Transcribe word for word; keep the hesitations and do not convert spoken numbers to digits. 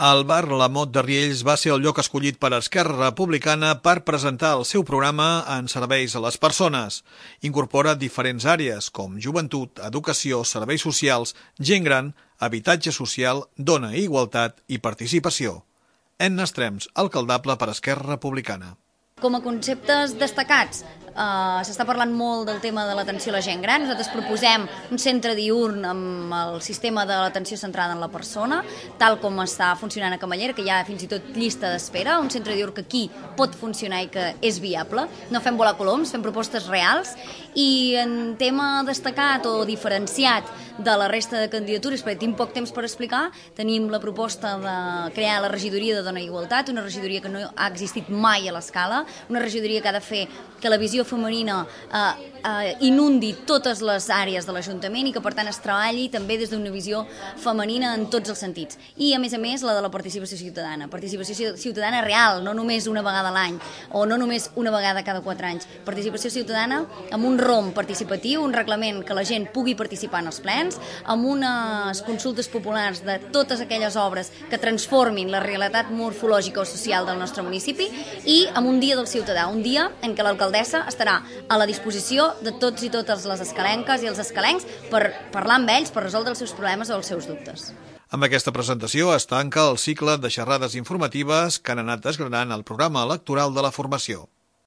El bar La Mot de Riells va ser el lloc escollit per Esquerra Republicana per presentar el seu programa en serveis a les persones. Incorpora diferents àrees com joventut, educació, serveis socials, gent gran, habitatge social, dona i igualtat i participació. Enna Estrems, alcaldable per Esquerra Republicana. Com a conceptes destacats, eh, s'està parlant molt del tema de l'atenció a la gent gran. Nosaltres proposem un centre diürn amb el sistema de l'atenció centrada en la persona, tal com està funcionant a Camallera, que hi ha fins i tot llista d'espera, un centre diürn que aquí pot funcionar i que és viable. No fem volar coloms, fem propostes reals, i en tema destacat o diferenciat de la resta de candidatures, perquè tinc poc temps per explicar, tenim la proposta de crear la regidoria de Dona i Igualtat, una regidoria que no ha existit mai a l'escala, una regidoria que ha de fer que la visió femenina eh, eh, inundi totes les àrees de l'Ajuntament i que per tant es treballi també des d'una visió femenina en tots els sentits. I a més a més la de la participació ciutadana, participació ciutadana real, no només una vegada a l'any o no només una vegada cada quatre anys, participació ciutadana amb un rom participatiu, un reglament que la gent pugui participar en els plens, amb unes consultes populars de totes aquelles obres que transformin la realitat morfològica o social del nostre municipi i amb un dia del ciutadà, un dia en què l'alcaldessa estarà a la disposició de tots i totes les escalenques i els escalencs per parlar amb ells, per resoldre els seus problemes o els seus dubtes. Amb aquesta presentació es tanca el cicle de xerrades informatives que han anat desgranant el programa electoral de la formació.